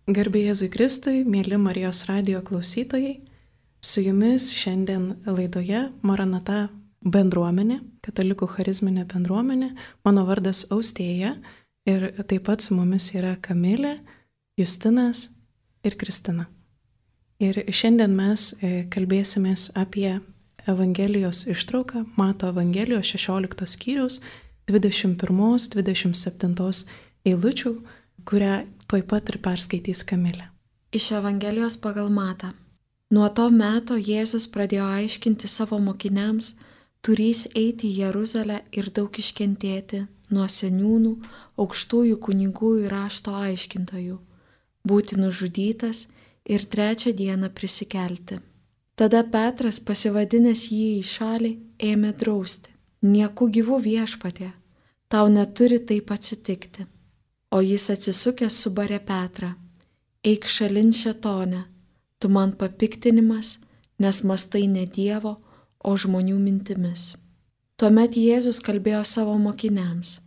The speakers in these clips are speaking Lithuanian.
Garbė Jėzui Kristui, mėly Marijos radijo klausytojai, su jumis šiandien laidoje Maranata bendruomenė, katalikų charizminė bendruomenė. Mano vardas Austėja ir taip pat su mumis yra Kamilė, Justinas ir Kristina. Ir šiandien mes kalbėsimės apie Evangelijos ištrauką, Mato Evangelijos 16 skyriaus 21-27 eilučių, kurią tuoj pat ir perskaitys Kamilė. Iš Evangelijos pagal Matą. Nuo to meto Jėzus pradėjo aiškinti savo mokiniams, turys eiti į Jeruzalę ir daug iškentėti nuo seniūnų, aukštųjų kunigų ir rašto aiškintojų, būti nužudytas ir 3 dieną prisikelti. Tada Petras, pasivadinęs jį į šalį, ėmė drausti: nieku gyvu viešpatie, tau neturi taip atsitikti. O jis atsisukęs subarė Petrą: eik šalin šėtone, tu man papiktinimas, nes mąstai ne Dievo, o žmonių mintimis. Tuomet Jėzus kalbėjo savo mokiniams: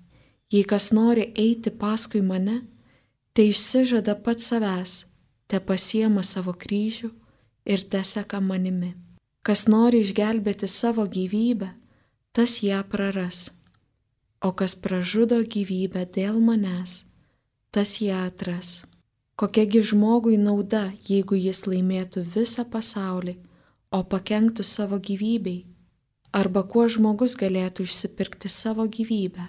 jei kas nori eiti paskui mane, tai išsižada pats savęs, te pasiema savo kryžių ir te seka manimi. Kas nori išgelbėti savo gyvybę, tas ją praras, o kas pražudo gyvybę dėl manęs, tas ją atras. Kokiagi žmogui nauda, jeigu jis laimėtų visą pasaulį, o pakenktų savo gyvybei? Arba kuo žmogus galėtų išsipirkti savo gyvybę?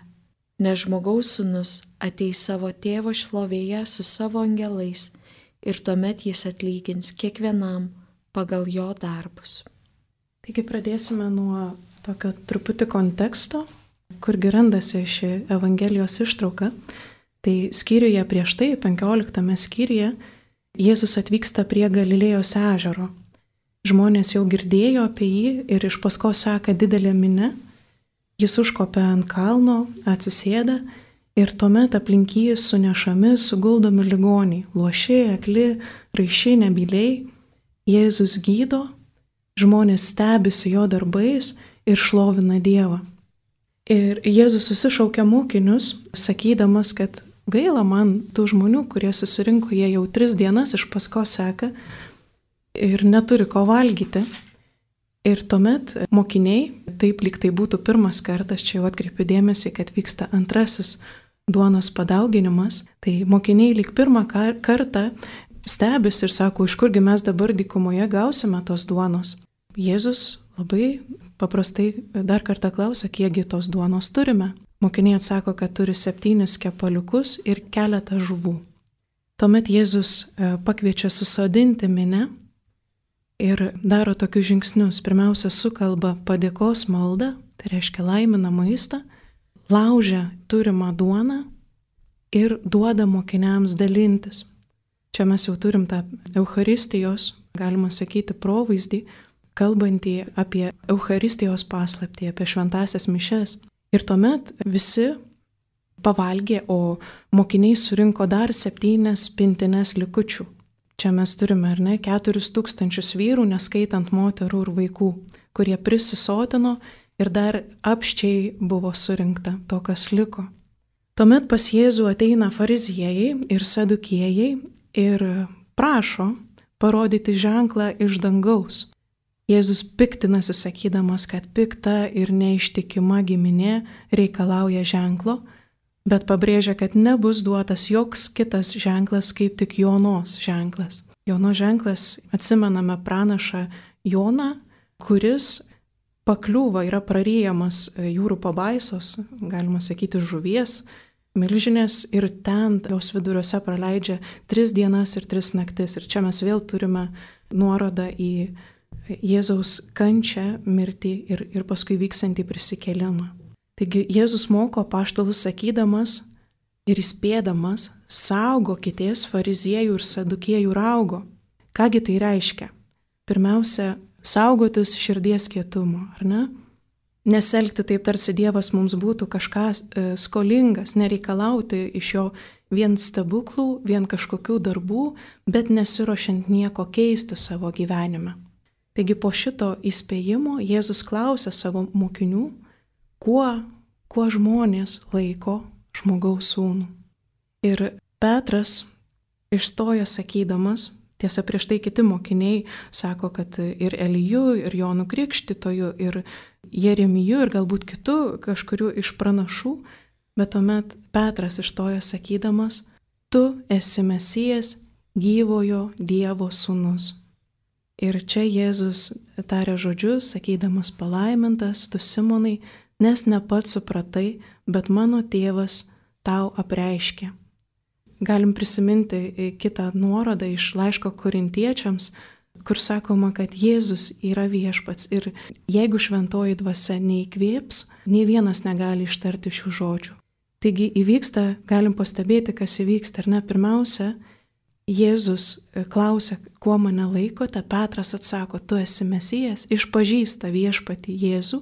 Nes žmogaus sūnus ateis savo tėvo šlovėje su savo angelais ir tuomet jis atlygins kiekvienam pagal jo darbus. Taigi pradėsime nuo tokio truputį konteksto, kurgi randasi ši Evangelijos ištrauka. Tai skyriuje prieš tai, 15 skyriuje, Jėzus atvyksta prie Galilėjos ežero. Žmonės jau girdėjo apie jį ir iš paskos seka didelė minia. Jis užkopia ant kalno, atsisėda ir tuomet aplink jį sunešami, suguldomi ligoniai, luoši, akli, raiščiai, nebyliai. Jėzus gydo, žmonės stebisi jo darbais ir šlovina Dievą. Ir Jėzus susišaukia mokinius, sakydamas, kad gaila man tų žmonių, kurie susirinko, jie jau 3 dienas iš paskos seka ir neturi ko valgyti. Ir tuomet mokiniai, taip lyg tai būtų pirmas kartas, čia jau atkreipiu dėmesį, kad vyksta antrasis duonos padauginimas, tai mokiniai lyg pirmą kartą stebis ir sako, iš kurgi mes dabar dykumoje gausime tos duonos. Jėzus labai paprastai dar kartą klausia, kiekgi tos duonos turime. Mokiniai atsako, kad turi 7 kepaliukus ir keletą žuvų. Tuomet Jėzus pakviečia susodinti minią ir daro tokius žingsnius. Pirmiausia, sukalba padėkos maldą, tai reiškia laimina maistą, laužia turimą duoną ir duoda mokiniams dalintis. Čia mes jau turim tą Eucharistijos, galima sakyti, provaizdį, kalbantį apie Eucharistijos paslaptį, apie šventąsias mišias. Ir tuomet visi pavalgė, o mokiniai surinko dar 7 pintines likučių. Čia mes turime, 4000 vyrų, neskaitant moterų ir vaikų, kurie prisisotino ir dar apščiai buvo surinkta to, kas liko. Tuomet pas Jėzų ateina fariziejai ir sadukėjai ir prašo parodyti ženklą iš dangaus. Jėzus piktinasi sakydamas, kad pikta ir neištikima giminė reikalauja ženklo, bet pabrėžia, kad nebus duotas joks kitas ženklas kaip tik Jonos ženklas. Jono ženklas, atsimename pranašą Joną, kuris pakliūva, yra praryjamas jūrų pabaisos, galima sakyti žuvies, milžinės ir ten jos viduriuose praleidžia 3 dienas ir 3 naktis. Ir čia mes vėl turime nuorodą į Jėzaus kančią, mirtį ir paskui vyksantį prisikėlimą. Taigi Jėzus moko apaštalus sakydamas ir įspėdamas, saugokitės fariziejų ir sadukėjų raugo. Kągi tai reiškia? Pirmiausia, saugotis širdies kietumo, ar ne? Neselgti taip, tarsi Dievas mums būtų kažką skolingas, nereikalauti iš jo vien stebuklų, vien kažkokių darbų, bet nesiruošiant nieko keisti savo gyvenime. Taigi po šito įspėjimo Jėzus klausia savo mokinių, kuo žmonės laiko žmogaus sūnų. Ir Petras išstojo sakydamas, tiesa prieš tai kiti mokiniai sako, kad ir Eliju, ir Jonu Krikštytoju, ir Jeremiju, ir galbūt kitų kažkurių iš pranašų, bet tuomet Petras išstojo sakydamas, tu esi Mesijas, gyvojo Dievo sūnus. Ir čia Jėzus tarė žodžius, sakydamas palaimintas, tu Simonai, nes ne pats supratai, bet mano tėvas tau apreiškė. Galim prisiminti kitą nuorodą iš laiško Korintiečiams, kur sakoma, kad Jėzus yra viešpats ir jeigu šventoji dvasia neįkvėps, nei vienas negali ištarti šių žodžių. Taigi įvyksta, galim pastebėti, kas įvyksta, ar ne? Pirmiausia, Jėzus klausia, kuo mane laikote, Petras atsako, tu esi Mesijas, išpažįsta viešpatį Jėzų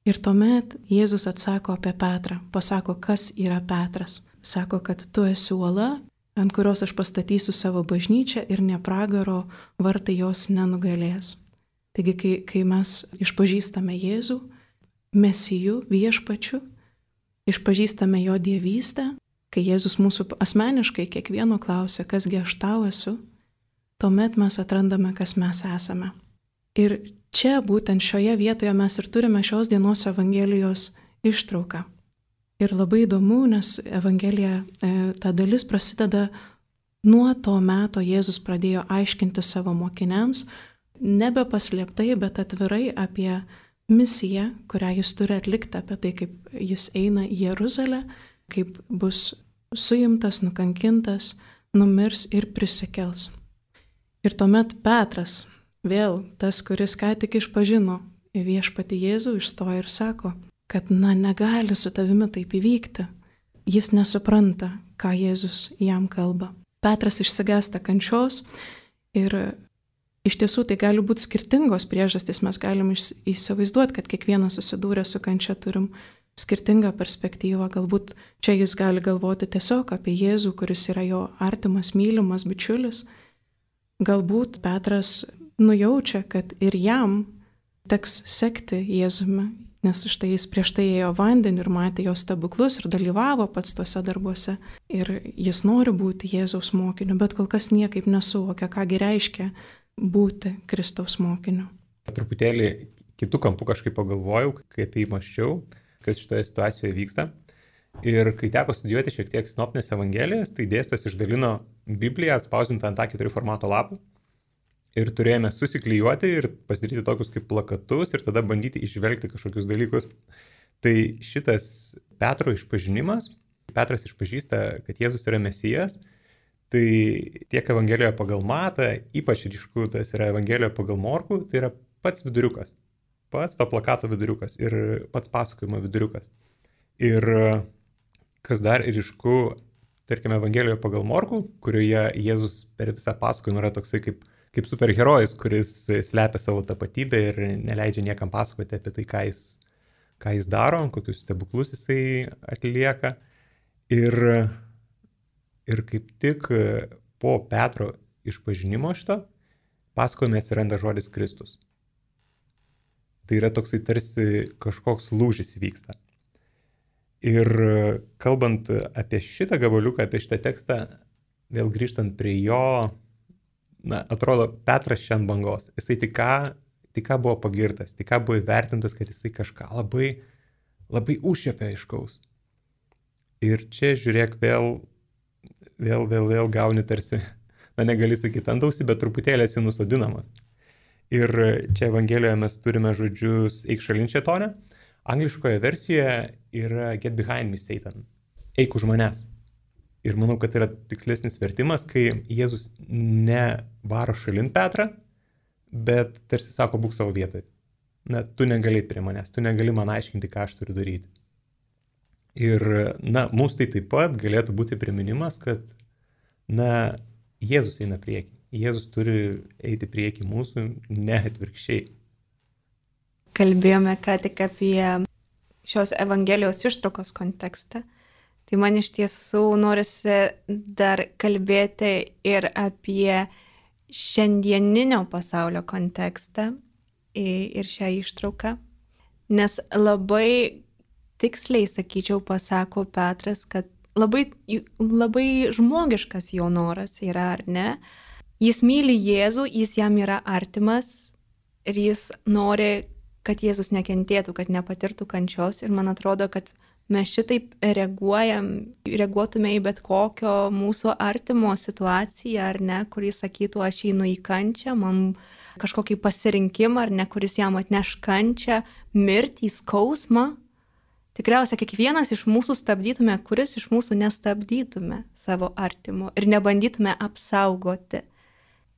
ir tuomet Jėzus atsako apie Petrą, pasako, kas yra Petras. Sako, kad tu esi uola, ant kurios aš pastatysiu savo bažnyčią ir ne pragaro vartai jos nenugalės. Taigi, kai mes išpažįstame Jėzų, Mesiju, viešpačiu, išpažįstame jo dievystę, kai Jėzus mūsų asmeniškai kiekvieno klausia, kasgi aš tau esu, tuomet mes atrandame, kas mes esame. Ir čia būtent šioje vietoje mes ir turime šios dienos Evangelijos ištrauką. Ir labai įdomu, nes Evangelija, ta dalis prasideda nuo to meto Jėzus pradėjo aiškinti savo mokiniams, nebe paslėptai, bet atvirai apie misiją, kurią jis turi atlikti, apie tai, kaip jis eina į Jeruzalę, kaip bus suimtas, nukankintas, numirs ir prisikels. Ir tuomet Petras, vėl tas, kuris ką tik išpažino viešpatį Jėzų, išstoja ir sako, kad negali su tavimi taip įvykti. Jis nesupranta, ką Jėzus jam kalba. Petras išsigąsta kančios ir iš tiesų tai gali būti skirtingos priežastys. Mes galim įsivaizduoti, kad kiekvienas susidūrė su kančia turim skirtingą perspektyvą. Galbūt čia jis gali galvoti tiesiog apie Jėzų, kuris yra jo artimas, mylimas bičiulis. Galbūt Petras nujaučia, kad ir jam teks sekti Jėzumi, nes štai jis prieš tai ėjo vandenį ir matė jo stebuklus ir dalyvavo pats tuose darbuose. Ir jis nori būti Jėzaus mokiniu, bet kol kas niekaip nesuvokia, kągi reiškia būti Kristaus mokiniu. Truputėlį kitų kampų kažkaip pagalvojau, kai apie jį mąsčiau, kas šitoje situacijoje vyksta. Ir kai teko studijuoti šiek tiek sinoptinės evangelijas, tai dėstytojas išdalino Bibliją atspausdintą ant A4 formato lapų. Ir turėjome susiklijuoti ir pasidaryti tokius kaip plakatus ir tada bandyti išvelgti kažkokius dalykus. Tai šitas Petro išpažinimas, Petras išpažįsta, kad Jėzus yra Mesijas, tai tiek Evangelijoje pagal Matą, ypač ryšku tas yra Evangelijoje pagal Morkų, tai yra pats viduriukas, pats to plakato viduriukas ir pats pasakojimo viduriukas. Ir kas dar ryšku, tarkime, Evangelijoje pagal Morkų, kurioje Jėzus per visą pasakojimą yra toksai kaip superherojus, kuris slepia savo tapatybę ir neleidžia niekam pasakoti apie tai, ką jis daro, kokius stebuklus jisai atlieka. Ir kaip tik po Petro išpažinimo šito pasakojime atsiranda žodis Kristus. Tai yra toksai tarsi kažkoks lūžis vyksta. Ir kalbant apie šitą gabaliuką, apie šitą tekstą, vėl grįžtant prie jo, atrodo, Petras šiandien bangos. Jisai tik ką buvo pagirtas, tik ką buvo įvertintas, kad jisai kažką labai, labai užšiepė aiškaus. Ir čia, žiūrėk, vėl gauni tarsi, negali sakyti ant ausį, bet truputėlį esi nusodinamas. Ir čia Evangelijoje mes turime žodžius eik šalin šėtone. Angliškoje versijoje yra get behind me, Satan. Eik už manęs. Ir manau, kad tai yra tikslesnis vertimas, kai Jėzus nevaro šalin Petrą, bet tarsi sako, būk savo vietoje. Tu negali prie manęs, tu negali man aiškinti, ką aš turiu daryti. Ir, mums tai taip pat galėtų būti priminimas, kad, Jėzus eina prieki. Jėzus turi eiti prieki mūsų, ne atvirkščiai. Kalbėjome ką tik apie šios Evangelijos ištraukos kontekstą. Tai man iš tiesų norisi dar kalbėti ir apie šiandieninio pasaulio kontekstą ir šią ištrauką, nes labai tiksliai, sakyčiau, pasako Petras, kad labai žmogiškas jo noras yra, ar ne? Jis myli Jėzų, jis jam yra artimas ir jis nori, kad Jėzus nekentėtų, kad nepatirtų kančios. Ir man atrodo, kad mes šitaip reaguotume į bet kokio mūsų artimo situaciją, ar ne, kuris sakytų, aš einu į kančią, man kažkokį pasirinkimą, ar ne, kuris jam atneš kančią, mirtį, skausmą. Tikriausiai kiekvienas iš mūsų stabdytume, kuris iš mūsų nestabdytume savo artimo ir nebandytume apsaugoti.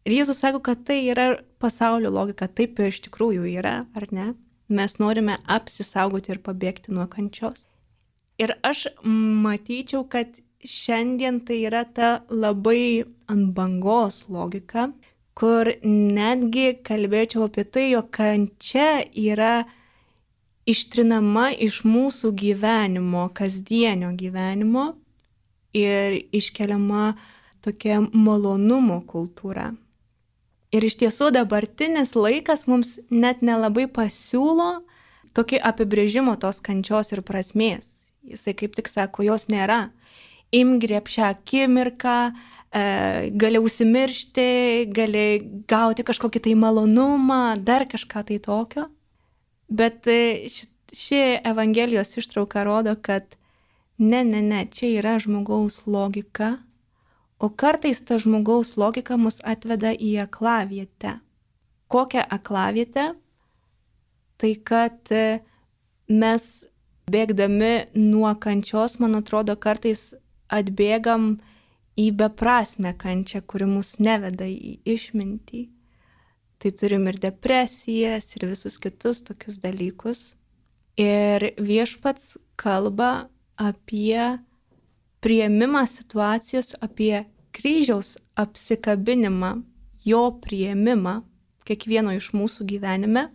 Ir Jėzus sako, kad tai yra pasaulio logika, taip iš tikrųjų yra, ar ne? Mes norime apsisaugoti ir pabėgti nuo kančios. Ir aš matyčiau, kad šiandien tai yra ta labai ant bangos logika, kur netgi kalbėčiau apie tai, jog kančia yra ištrinama iš mūsų gyvenimo, kasdienio gyvenimo ir iškeliama tokia malonumo kultūra. Ir iš tiesų dabartinis laikas mums net nelabai pasiūlo tokį apibrėžimo tos kančios ir prasmės. Jisai kaip tik sako, jos nėra. Imgrėb šią akimirką, gali užsimiršti, gali gauti kažkokį tai malonumą, dar kažką tai tokio. Bet ši Evangelijos ištrauka rodo, kad ne, čia yra žmogaus logika, o kartais ta žmogaus logika mus atveda į aklavietę. Kokią aklavietę? Tai kad mes bėgdami nuo kančios, man atrodo, kartais atbėgam į beprasmę kančią, kuri mus neveda į išmintį. Tai turim ir depresijas, ir visus kitus tokius dalykus. Ir Viešpats kalba apie priėmimą situacijos, apie kryžiaus apsikabinimą, jo priėmimą kiekvieno iš mūsų gyvenime.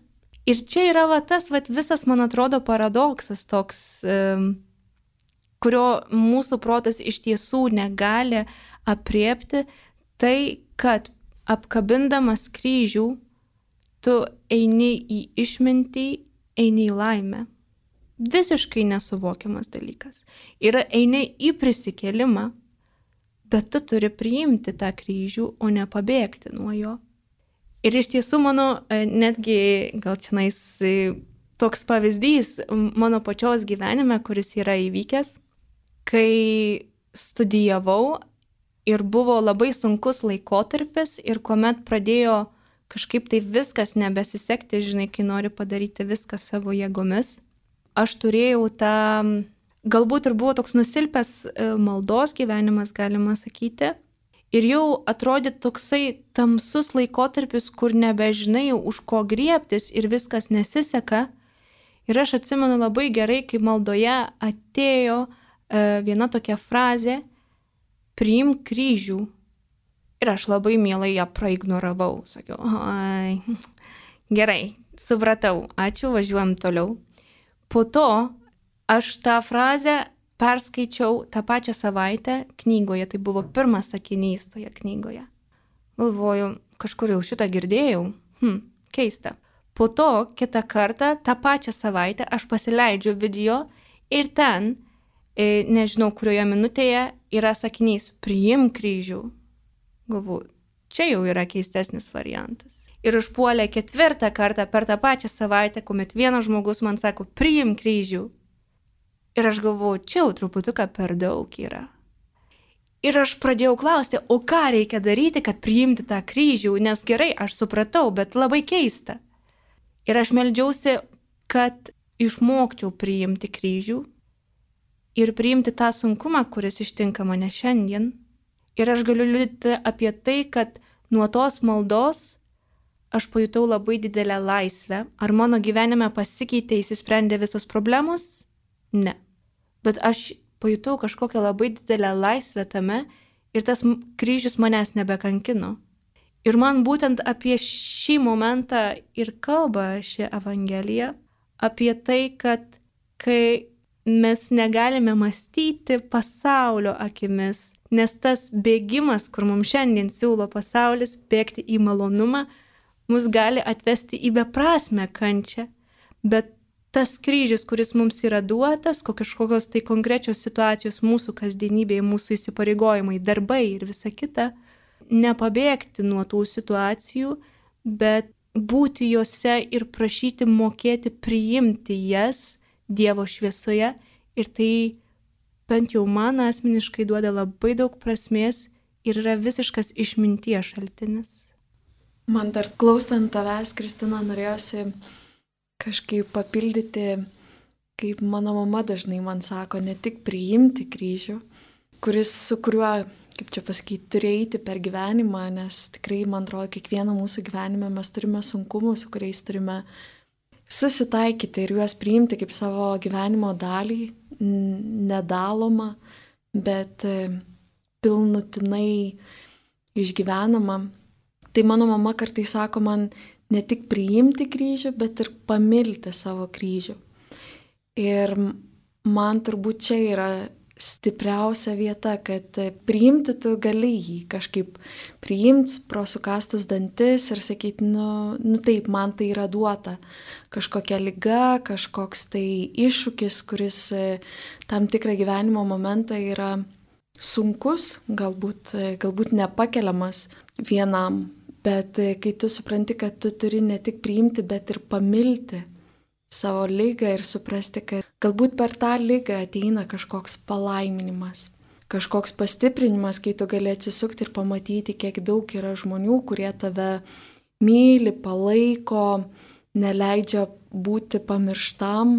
Ir čia yra tas visas, man atrodo, paradoksas toks, kurio mūsų protas iš tiesų negali apriepti, tai, kad apkabindamas kryžių, tu eini į išmintį, eini į laimę. Visiškai nesuvokiamas dalykas. Ir eini į prisikėlimą, bet tu turi priimti tą kryžių, o ne pabėgti nuo jo. Ir iš tiesų mano, netgi gal čionais toks pavyzdys mano pačios gyvenime, kuris yra įvykęs, kai studijavau, ir buvo labai sunkus laikotarpis ir kuomet pradėjo kažkaip tai viskas nebesisekti, žinai, kai nori padaryti viską savo jėgomis. Aš turėjau tą, galbūt ir buvo toks nusilpęs maldos gyvenimas, galima sakyti. Ir jau atrodė toksai tamsus laikotarpis, kur nebežinai už ko griebtis ir viskas nesiseka. Ir aš atsimenu labai gerai, kai maldoje atėjo viena tokia frazė, priimk kryžių. Ir aš labai mielai ją praignoravau. Sakiau, gerai, supratau, ačiū, važiuojam toliau. Po to aš tą frazę perskaičiau tą pačią savaitę knygoje, tai buvo pirmas sakinys toje knygoje. Galvoju, kažkur jau šitą girdėjau, keista. Po to kitą kartą, tą pačią savaitę aš pasileidžiu video ir ten, nežinau, kurioje minutėje yra sakinys, priimk kryžių. Galvoju, čia jau yra keistesnis variantas. Ir užpuolė ketvirtą kartą per tą pačią savaitę, kuomet vienas žmogus man sako, priimk kryžių. Ir aš galvoju, čia jau truputuką per daug yra. Ir aš pradėjau klausti, o ką reikia daryti, kad priimti tą kryžių, nes gerai, aš supratau, bet labai keista. Ir aš meldžiausi, kad išmokčiau priimti kryžių ir priimti tą sunkumą, kuris ištinka mane šiandien. Ir aš galiu liudyti apie tai, kad nuo tos maldos aš pajutau labai didelę laisvę. Ar mano gyvenime pasikeitė, įsisprendė visos problemos? Ne. Bet aš pajutau kažkokią labai didelę laisvę tame ir tas kryžius manęs nebekankino. Ir man būtent apie šį momentą ir kalba ši Evangelija, apie tai, kad kai mes negalime mąstyti pasaulio akimis, nes tas bėgimas, kur mums šiandien siūlo pasaulis, bėgti į malonumą, mus gali atvesti į beprasmę kančią. Bet tas kryžius, kuris mums yra duotas, kažkokios tai konkrečios situacijos mūsų kasdienybėje, mūsų įsipareigojimai, darbai ir visa kita, nepabėgti nuo tų situacijų, bet būti juose ir prašyti mokėti priimti jas Dievo šviesoje. Ir tai bent jau man asmeniškai duoda labai daug prasmės ir yra visiškas išminties šaltinis. Man dar klausant tavęs, Kristina, norėjosi kažkaip papildyti, kaip mano mama dažnai man sako, ne tik priimti kryžių, su kuriuo, kaip čia pasakyti, turi eiti per gyvenimą, nes tikrai, man atrodo, kiekvieno mūsų gyvenime mes turime sunkumų, su kuriais turime susitaikyti ir juos priimti kaip savo gyvenimo dalį, nedalomą, bet pilnutinai išgyvenama. Tai mano mama kartais sako man ne tik priimti kryžių, bet ir pamilti savo kryžių. Ir man turbūt čia yra stipriausia vieta, kad priimti tu gali jį kažkaip priimti pro sukastus dantis ir sakyti, nu taip, man tai yra duota. Kažkokia liga, kažkoks tai iššūkis, kuris tam tikrą gyvenimo momentą yra sunkus, galbūt nepakeliamas vienam. Bet kai tu supranti, kad tu turi ne tik priimti, bet ir pamilti savo ligą ir suprasti, kad galbūt per tą ligą ateina kažkoks palaiminimas, kažkoks pastiprinimas, kai tu gali atsisukti ir pamatyti, kiek daug yra žmonių, kurie tave myli, palaiko, neleidžia būti pamirštam.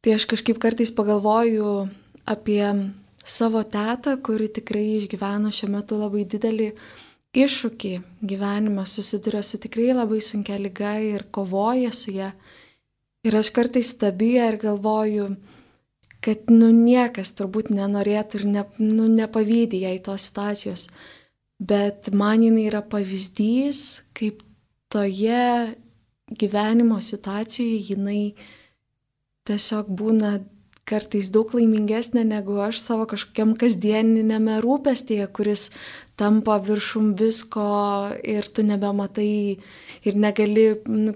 Tai aš kažkaip kartais pagalvoju apie savo tetą, kuri tikrai išgyvena šiuo metu labai didelį iššūkį gyvenime, susiduria su tikrai labai sunkia liga ir kovoja su ją. Ir aš kartais stebiu ir galvoju, kad niekas turbūt nenorėtų ir nepavydi jai tos situacijos. Bet man jinai yra pavyzdys, kaip toje gyvenimo situacijoje jinai tiesiog būna kartais daug laimingesnė negu aš savo kažkokiam kasdieninėme rūpestyje, kuris tampa viršum visko ir tu nebematai ir negali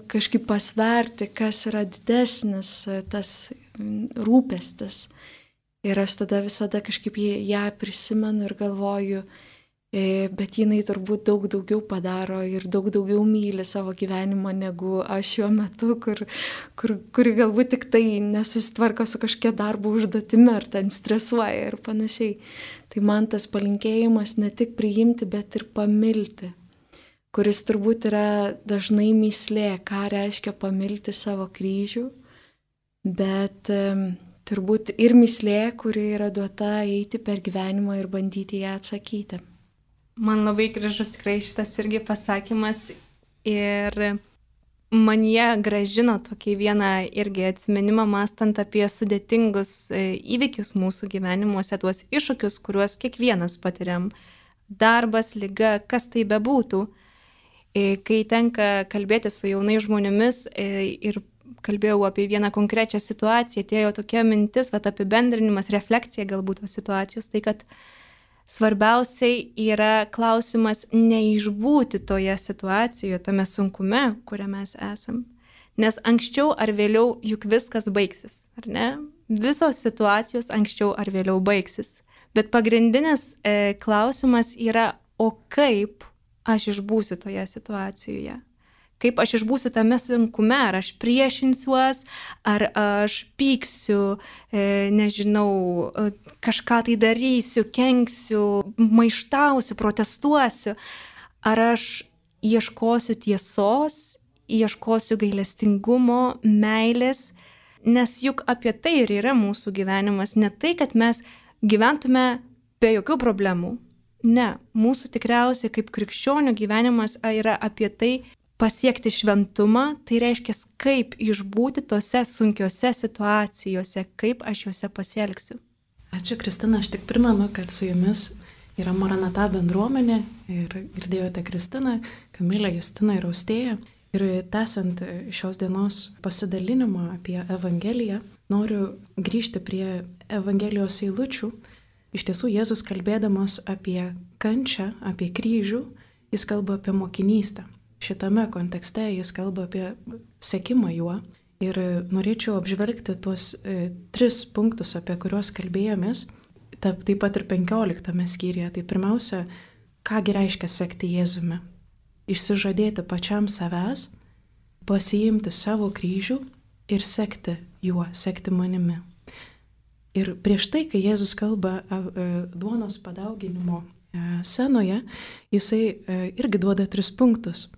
kažkaip pasverti, kas yra didesnis tas rūpestis. Ir aš tada visada kažkaip ją prisimenu ir galvoju, bet jinai turbūt daug daugiau padaro ir daug daugiau myli savo gyvenimą negu aš šiuo metu, kuri galbūt tik tai nesusitvarko su kažkokia darbo užduotimi ar ten stresuoja ir panašiai. Tai man tas palinkėjimas ne tik priimti, bet ir pamilti, kuris turbūt yra dažnai mįslė, ką reiškia pamilti savo kryžių, bet turbūt ir mįslė, kuri yra duota eiti per gyvenimą ir bandyti ją atsakyti. Man labai gražus tikrai šitas irgi pasakymas ir man jie gražino tokį vieną irgi atsiminimą, mąstant apie sudėtingus įvykius mūsų gyvenimuose, tuos iššūkius, kuriuos kiekvienas patiriam. Darbas, liga, kas tai bebūtų. Kai tenka kalbėti su jaunais žmonėmis ir kalbėjau apie vieną konkrečią situaciją, atėjo tokia mintis, apibendrinimas, refleksija galbūt tos situacijos, tai kad svarbiausiai yra klausimas neišbūti toje situacijoje, tame sunkume, kuriame mes esam. Nes anksčiau ar vėliau juk viskas baigsis, ar ne? Visos situacijos anksčiau ar vėliau baigsis. Bet pagrindinis klausimas yra, o kaip aš išbūsiu toje situacijoje? Kaip aš išbūsiu tame sunkume, ar aš priešinsiuos, ar aš pyksiu, nežinau, kažką tai darysiu, kenksiu, maištausiu, protestuosiu, ar aš ieškosiu tiesos, ieškosiu gailestingumo, meilės, nes juk apie tai ir yra mūsų gyvenimas, ne tai, kad mes gyventume be jokių problemų. Ne, mūsų tikriausiai kaip krikščionių gyvenimas yra apie tai, pasiekti šventumą, tai reiškia, kaip išbūti tose sunkiose situacijose, kaip aš juose pasielgsiu. Ačiū, Kristina, aš tik primenu, kad su jumis yra Maranata bendruomenė ir girdėjote Kristiną, Kamilę, Justiną ir Austėją. Ir tęsiant šios dienos pasidalinimą apie Evangeliją, noriu grįžti prie Evangelijos eilučių. Iš tiesų, Jėzus kalbėdamas apie kančią, apie kryžių, jis kalba apie mokinystę. Šitame kontekste jis kalba apie sekimą juo Ir norėčiau apžvelgti tuos 3 punktus, apie kuriuos kalbėjomės, taip pat ir 15 skyriuje. Tai pirmiausia, kągi reiškia sekti Jėzumi. Išsižadėti pačiam savęs, pasiimti savo kryžių ir sekti juo, sekti manimi. Ir prieš tai, kai Jėzus kalba duonos padauginimo scenoje, jisai irgi duoda 3 punktus.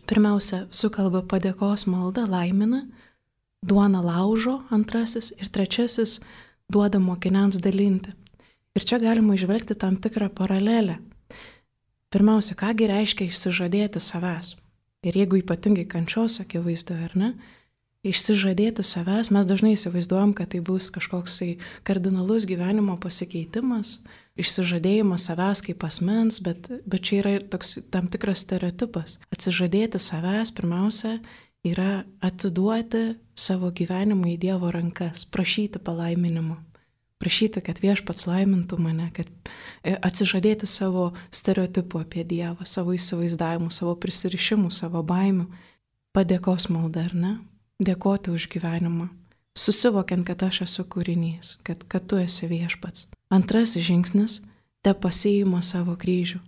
Pirmiausia, sukalba padėkos maldą, laimina, duoną laužo, 2, ir 3 duoda mokiniams dalinti. Ir čia galima išvelgti tam tikrą paralelę. Pirmiausia, kągi reiškia išsižadėti savęs. Ir jeigu ypatingai kančios akivaizdoje, ar ne, išsižadėti savęs, mes dažnai įsivaizduojam, kad tai bus kažkoksai kardinalus gyvenimo pasikeitimas, išsižadėjimas savęs kaip asmens, bet čia yra toks tam tikras stereotipas. Atsižadėti savęs pirmiausia yra atiduoti savo gyvenimą į Dievo rankas, prašyti palaiminimo, prašyti, kad Viešpats laimintų mane, kad atsižadėti savo stereotipų apie Dievą, savo įsivaizdavimų, savo prisirišimų, savo baimių, padėkos malda, ar ne? Dėkoti už gyvenimą, susivokiant, kad aš esu kūrinys, kad tu esi Viešpats. 2 žingsnis - te pasiima savo kryžių.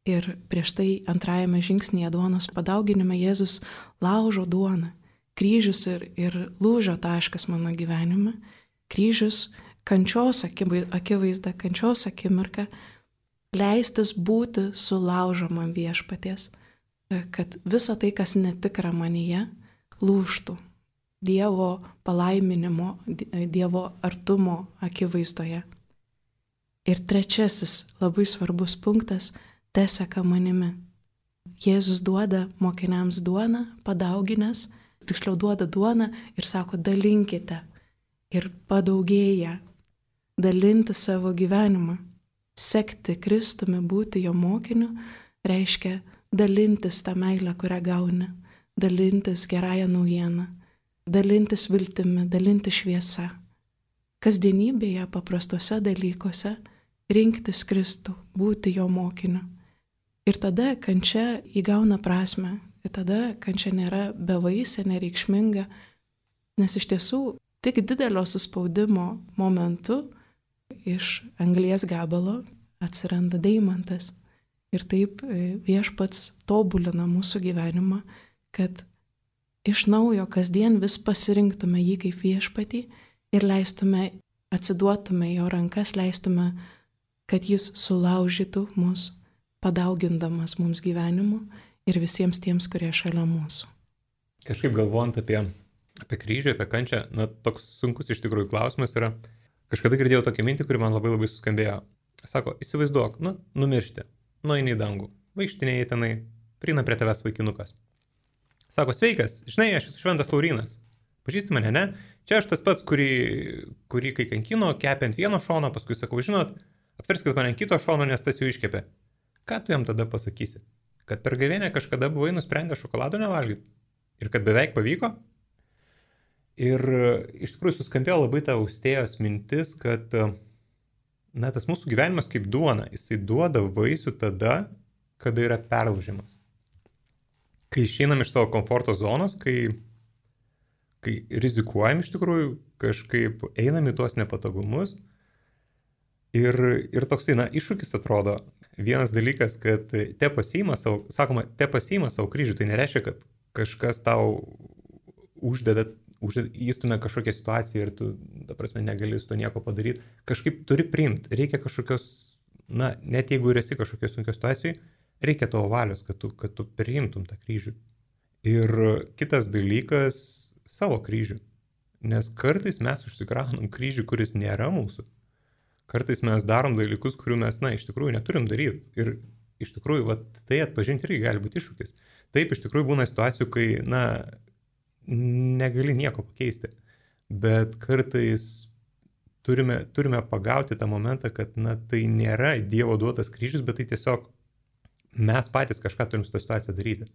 Ir prieš tai 2 žingsnyje duonos padauginime Jėzus laužo duoną. Kryžius ir lūžio taškas mano gyvenime. Kryžius kančios akivaizda, kančios akimirka, leistis būti sulaužomam Viešpaties, kad visa tai, kas netikra manyje, lūžtų Dievo palaiminimo, Dievo artumo akivaizdoje. Ir 3 labai svarbus punktas - te seka manimi. Jėzus duoda mokiniams duoną, padauginęs, tiksliau duoda duoną ir sako, dalinkite. Ir padaugėja, dalinti savo gyvenimą. Sekti Kristumi, būti jo mokiniu, reiškia dalintis tą meilę, kurią gauni, dalintis gerąją naujieną, dalintis viltimi, dalintis šviesa. Kasdienybėje, paprastuose dalykuose rinktis Kristų, būti jo mokiniu. Ir tada kančia įgauna prasme, ir tada kančia nėra bevaisė, nereikšminga, nes iš tiesų tik didelio suspaudimo momentu iš anglies gabalo atsiranda deimantas. Ir taip Viešpats tobulina mūsų gyvenimą, kad iš naujo kasdien vis pasirinktume jį kaip Viešpatį ir leistume, atsiduotume jo rankas, leistume, kad jis sulaužytų mus, padaugindamas mums gyvenimu ir visiems tiems, kurie šalia mūsų. Kažkaip galvojant apie kryžių, apie kančią, toks sunkus iš tikrųjų klausimas yra. Kažkada girdėjau tokią mintį, kuri man labai suskambėjo. Sako, įsivaizduok, numiršti, nueini į dangų, vaikštinėjai tenai, prieina prie tavęs vaikinukas. Sako, sveikas, žinai, aš esu Šventas Laurynas. Pažįsti mane, ne? Čia aš tas pats, kurį kai kankino, kepė ant vieno šono, paskui sakau, žinot, apverskit mane ant kito šono, nes tas jau iškepė. Ką tu jam tada pasakysi? Kad per gavėnę kažkada buvai nusprendę šokolado nevalgyti? Ir kad beveik pavyko? Ir iš tikrųjų suskambėjo labai ta austėjos mintis, kad tas mūsų gyvenimas kaip duona, jisai duoda vaisių tada, kada yra perlaužimas. Kai išeinam iš savo komforto zonos, kai rizikuojam iš tikrųjų, kažkaip einam į tuos nepatogumus. Ir toksai, iššūkis atrodo. Vienas dalykas, kad te pasiima savo kryžių, tai nereiškia, kad kažkas tau įstumia kažkokią situaciją ir tu, ta prasme, negali su to nieko padaryti. Kažkaip turi priimti. Reikia kažkokios, net jeigu ir esi kažkokios sunkios situacijai, reikia tavo valios, kad tu priimtum tą kryžių. Ir kitas dalykas - savo kryžių. Nes kartais mes užsikraunam kryžių, kuris nėra mūsų. Kartais mes darom dalykus, kurių mes, iš tikrųjų neturim daryti. Ir iš tikrųjų, tai atpažinti irgi gali būti iššūkis. Taip, iš tikrųjų būna situacijų, kai, negali nieko pakeisti. Bet kartais turime pagauti tą momentą, kad, tai nėra Dievo duotas kryžius, bet tai tiesiog mes patys kažką turim su tą situaciją daryti.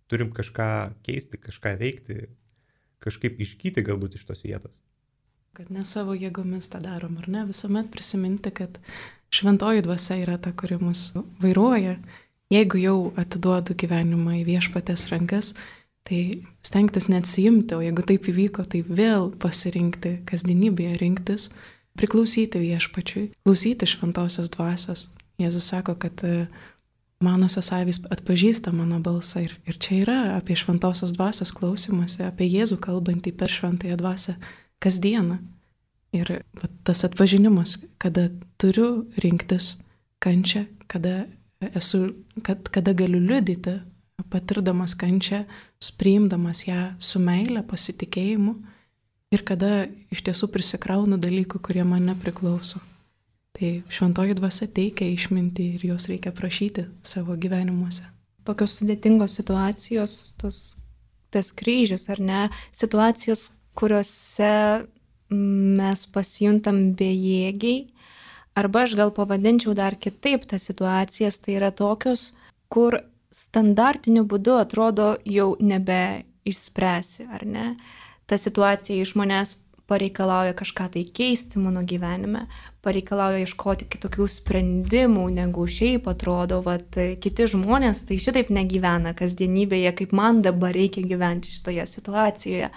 Turim kažką keisti, kažką veikti, kažkaip išgyti galbūt iš tos vietos. Kad ne savo jėgomis tą darom, ar ne? Visuomet prisiminti, kad šventoji dvasia yra ta, kuri mus vairuoja. Jeigu jau atiduodu gyvenimą į Viešpaties rankas, Tai stengtis neatsijimti, o jeigu taip įvyko, tai vėl pasirinkti kasdienybėje, rinktis, priklausyti viešpačiui, klausyti šventosios dvasios. Jėzus sako, kad manosios avys atpažįsta mano balsą ir čia yra apie šventosios dvasios klausimąsi, apie Jėzų kalbantį per šventąją dvasią kasdieną. Ir tas atpažinimas, kada turiu rinktis kančią, kada galiu liudyti, patirdamas kančią, priimdamas ją su meile, pasitikėjimu ir kada iš tiesų prisikraunu dalykų, kurie man nepriklauso. Tai šventoji dvasia teikia išmintį ir jos reikia prašyti savo gyvenimuose. Tokios sudėtingos situacijos, tas kryžius, ar ne, situacijos, kuriuose mes pasijuntam bejėgiai, arba aš gal pavadinčiau dar kitaip tas situacijas, tai yra tokios, kur standartiniu būdu atrodo jau nebeišspręsi, ar ne? Ta situacija iš manęs pareikalauja kažką tai keisti mano gyvenime, pareikalauja ieškoti kitokių sprendimų, negu šiaip atrodo, kiti žmonės tai šitaip negyvena kasdienybėje, kaip man dabar reikia gyventi šitoje situacijoje.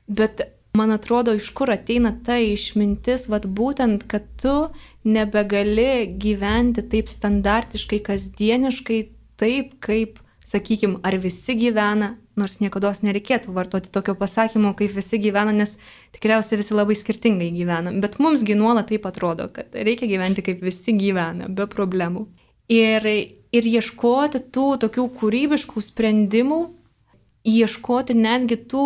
Bet man atrodo, iš kur ateina ta išmintis, būtent, kad tu nebegali gyventi taip standartiškai, kasdieniškai, taip kaip, sakykime, ar visi gyvena, nors niekados nereikėtų vartoti tokio pasakymo, kaip visi gyvena, nes tikriausiai visi labai skirtingai gyvena. Bet mumsgi nuolat taip atrodo, kad reikia gyventi kaip visi gyvena, be problemų. Ir ieškoti tų tokių kūrybiškų sprendimų, ieškoti netgi tų,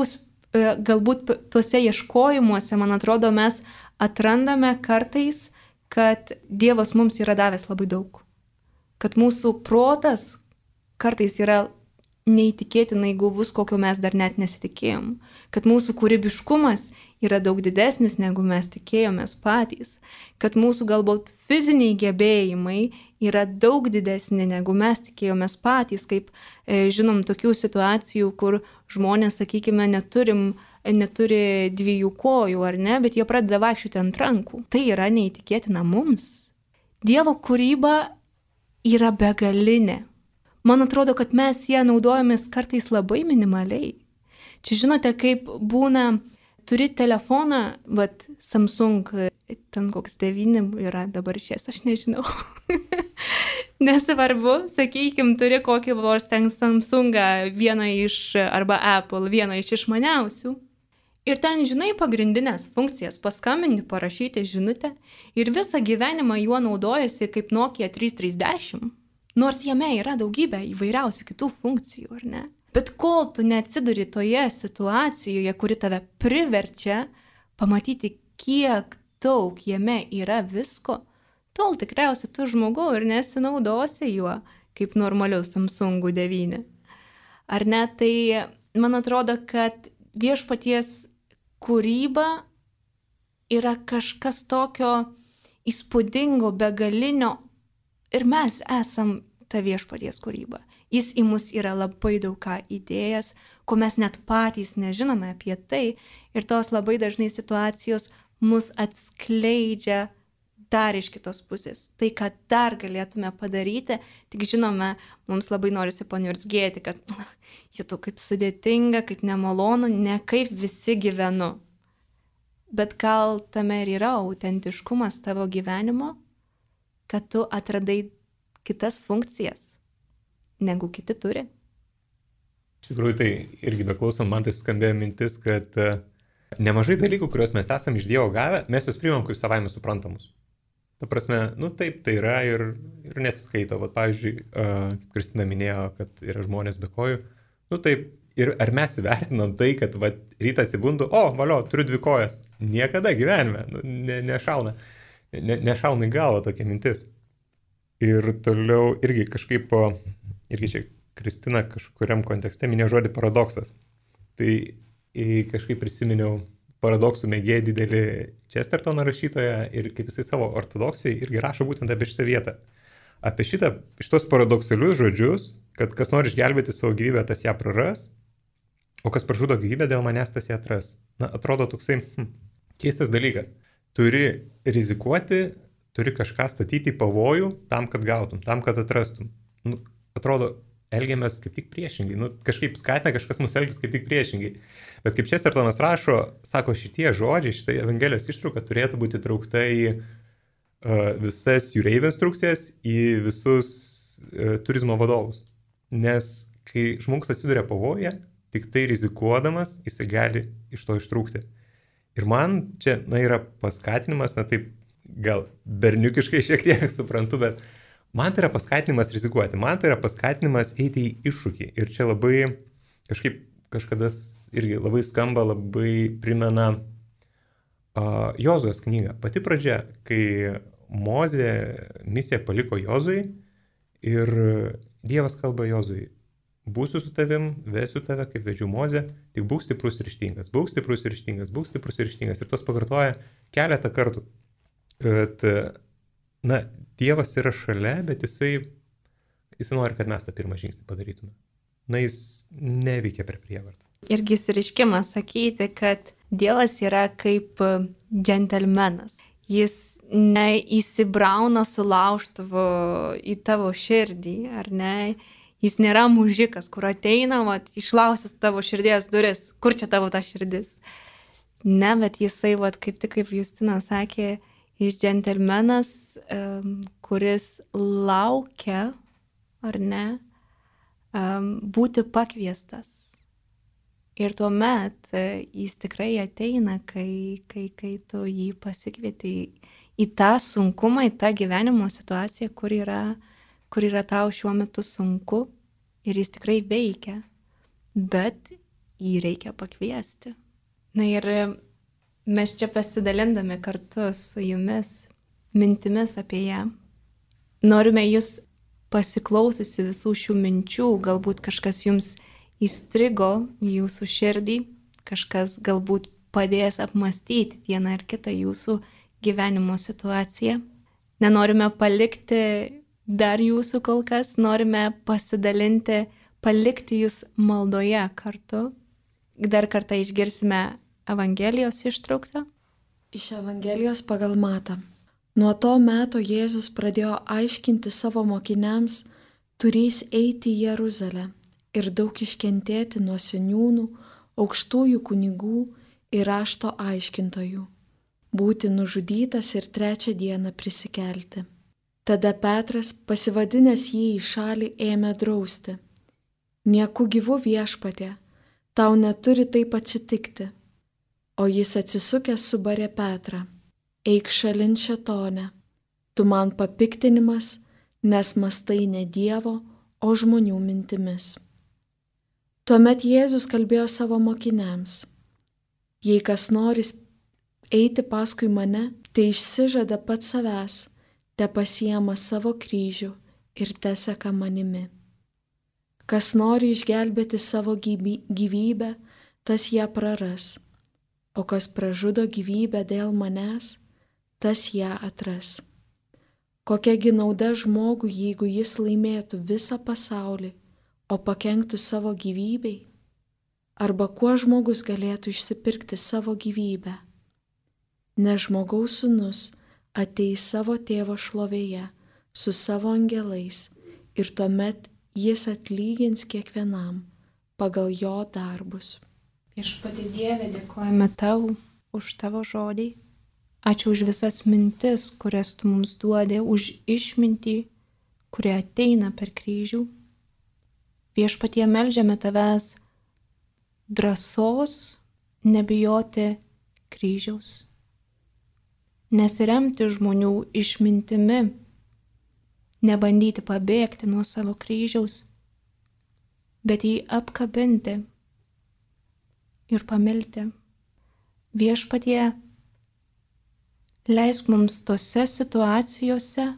galbūt tuose ieškojimuose, man atrodo, mes atrandame kartais, kad Dievas mums yra davęs labai daug. Kad mūsų protas kartais yra neįtikėtinai guvus, kokio mes dar net nesitikėjom. Kad mūsų kūrybiškumas yra daug didesnis, negu mes tikėjomės patys. Kad mūsų galbūt fiziniai gebėjimai yra daug didesni, negu mes tikėjomės patys. Kaip žinom tokių situacijų, kur žmonės, sakykime, neturi dviejų kojų, ar ne, bet jie pradeda vaikščioti ant rankų. Tai yra neįtikėtina mums. Dievo kūryba yra begalinė. Man atrodo, kad mes ją naudojamės kartais labai minimaliai. Čia žinote, kaip būna, turi telefoną, Samsung, ten koks 9 yra dabar šies, aš nežinau. Nesvarbu, sakykime, turi kokį vos ten Samsungą, vieną iš, arba Apple, vieną iš išmaniausių. Ir ten, žinai, pagrindinės funkcijas, paskambinti, parašyti žinutę ir visą gyvenimą juo naudojasi kaip Nokia 330. Nors jame yra daugybė įvairiausių kitų funkcijų, ar ne? Bet kol tu neatsiduri toje situacijoje, kuri tave priverčia pamatyti, kiek daug jame yra visko, tol tikriausiai tu žmogau ir nesinaudosi juo kaip normaliu Samsung 9. Ar ne? Tai man atrodo, kad viešpaties kūryba yra kažkas tokio įspūdingo, begalinio. Ir mes esam ta viešpaties kūryba. Jis į mus yra labai daug ką įdėjęs, ko mes net patys nežinome apie tai. Ir tos labai dažnai situacijos mus atskleidžia dar iš kitos pusės. Tai, ką dar galėtume padaryti, tik žinome, mums labai norisi paniurzgėti, kad tu kaip sudėtinga, kaip nemalonu, ne kaip visi gyvenu. Bet gal tame ir yra autentiškumas tavo gyvenimo, kad tu atradai kitas funkcijas, negu kiti turi. Iš tikrųjų, tai irgi beklausant, man tai skambėjo mintis, kad nemažai dalykų, kuriuos mes esame iš Dievo gavę, mes juos priimam kaip savaime suprantamus. Ta prasme, taip, tai yra ir nesiskaito. Pavyzdžiui, kaip Kristina minėjo, kad yra žmonės be kojų. Taip, ir ar mes įvertinam tai, kad rytą atsibundu, valio, turiu 2 kojas. Niekada gyvenime, nešauna į galvą tokia mintis. Ir toliau irgi kažkaip, čia Kristina kažkuriam kontekste minėjo žodį paradoksas. Tai kažkaip prisiminiau paradoksų mėgėją didelį Chestertono rašytoją ir kaip jisai savo ortodoksijai irgi rašo būtent apie šitą vietą. Apie šitos paradoksalius žodžius, kad kas nori išgelbėti savo gyvybę, tas ją praras, o kas pražudo gyvybę dėl manęs, tas ją atras. Atrodo toksai keistas dalykas. Turi rizikuoti, turi kažką statyti į pavojų tam, kad gautum, tam, kad atrastum. Atrodo elgiamės kaip tik priešingai. Kažkaip skatina kažkas mūsų elgtis kaip tik priešingai. Bet kaip Chestertonas rašo, sako, šitie žodžiai, šitą Evangelijos ištrauką turėtų būti traukta į visas jūreivių instrukcijas, į visus turizmo vadovus. Nes kai žmogus atsiduria pavojuje, tik tai rizikuodamas, jisai gali iš to ištrūkti. Ir man čia, yra paskatinimas, taip gal berniukiškai šiek tiek suprantu, bet man tai yra paskatinimas rizikuoti, man tai yra paskatinimas eiti į iššūkį. Ir čia labai kažkada irgi labai skamba, labai primena Jozuės knygą. Pati pradžia, kai Mozė misiją paliko Jozui ir Dievas kalba Jozui: būsiu su tavim, vesiu tave, kaip vedžiu Mozę, tik būk stiprus ir ryžtingas, būk stiprus ir ryžtingas, būk stiprus ir ryžtingas. Ir tos pakartoja keletą kartų. Kad, Dievas yra šalia, bet jisai nori, kad mes tą pirmą žingsnį padarytume. Jis neveikia per prievartą. Irgi išreiškimas sakyti, kad Dievas yra kaip džentelmenas. Jis neįsibrauna su laužtuvu į tavo širdį, ar ne? Jis nėra mužikas, kur ateina, išlausęs tavo širdies duris. Kur čia tavo ta širdis? Ne, bet jisai, kaip tik kaip Justina sakė, jis džentelmenas, kuris laukia, ar ne, būti pakviestas. Ir tuomet jis tikrai ateina, kai tu jį pasikvieti į tą sunkumą, į tą gyvenimo situaciją, kur yra tau šiuo metu sunku, ir jis tikrai veikia, bet jį reikia pakviesti. Ir mes čia pasidalindami kartu su jumis mintimis apie ją, norime jūs pasiklausysi visų šių minčių, galbūt kažkas jums įstrigo jūsų širdį, kažkas galbūt padės apmastyti vieną ar kitą jūsų gyvenimo situaciją. Nenorime palikti dar jūsų kol kas, norime pasidalinti, palikti jūs maldoje kartu. Dar kartą išgirsime Evangelijos ištrauktą. Iš Evangelijos pagal Matą. Nuo to meto Jėzus pradėjo aiškinti savo mokiniams, turės eiti į Jeruzalę ir daug iškentėti nuo seniūnų, aukštųjų kunigų ir rašto aiškintojų, būti nužudytas ir 3 dieną prisikelti. Tada Petras, pasivadinęs jį į šalį, ėmė drausti: nieku gyvu Viešpatie, tau neturi taip atsitikti. O jis atsisukęs subarė Petrą: eik šalin šėtone, tu man papiktinimas, nes mąstai ne Dievo, o žmonių mintimis. Tuomet Jėzus kalbėjo savo mokiniams: jei kas nori eiti paskui mane, tai išsižada pats savęs, te pasiema savo kryžių ir teseka manimi. Kas nori išgelbėti savo gyvybę, tas ją praras, o kas pražudo gyvybę dėl manęs, tas ją atras. Kokiagi nauda žmogui, jeigu jis laimėtų visą pasaulį, o pakenktų savo gyvybei? Arba kuo žmogus galėtų išsipirkti savo gyvybę? Nes žmogaus sūnus ateis savo tėvo šlovėje su savo angelais ir tuomet jis atlygins kiekvienam pagal jo darbus. Viešpatie Dieve, dėkojame tau už tavo žodį. Ačiū už visas mintis, kurias tu mums duodi, už išmintį, kurie ateina per kryžių. Viešpatie, meldžiame tavęs drąsos nebijoti kryžiaus. Nesiremti žmonių išmintimi, nebandyti pabėgti nuo savo kryžiaus, bet jį apkabinti ir pamilti. Viešpatie, leisk mums tose situacijose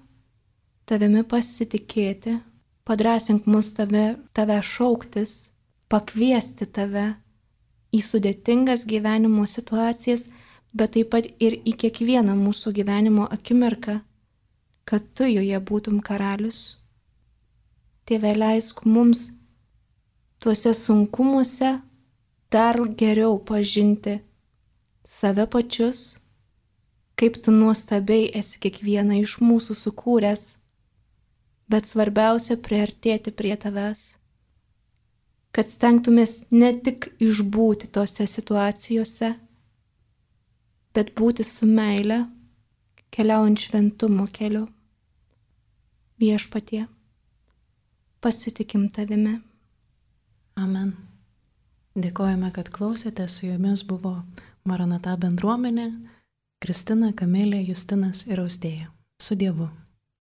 tavimi pasitikėti, padrąsink mus tave šauktis, pakviesti tave į sudėtingas gyvenimo situacijas, bet taip pat ir į kiekvieną mūsų gyvenimo akimirką, kad tu joje būtum karalius. Tėve, leisk mums tuose sunkumuose dar geriau pažinti save pačius, kaip tu nuostabiai esi kiekvieną iš mūsų sukūręs, bet svarbiausia priartėti prie tavęs, kad stengtumės ne tik išbūti tose situacijose, bet būti su meile, keliaujant šventumo keliu. Viešpatie, pasitikim tavimi. Amen. Dėkojame, kad klausėte, su jumis buvo Maranata bendruomenė, Kristina, Kamilė, Justinas ir Austėja. Su Dievu.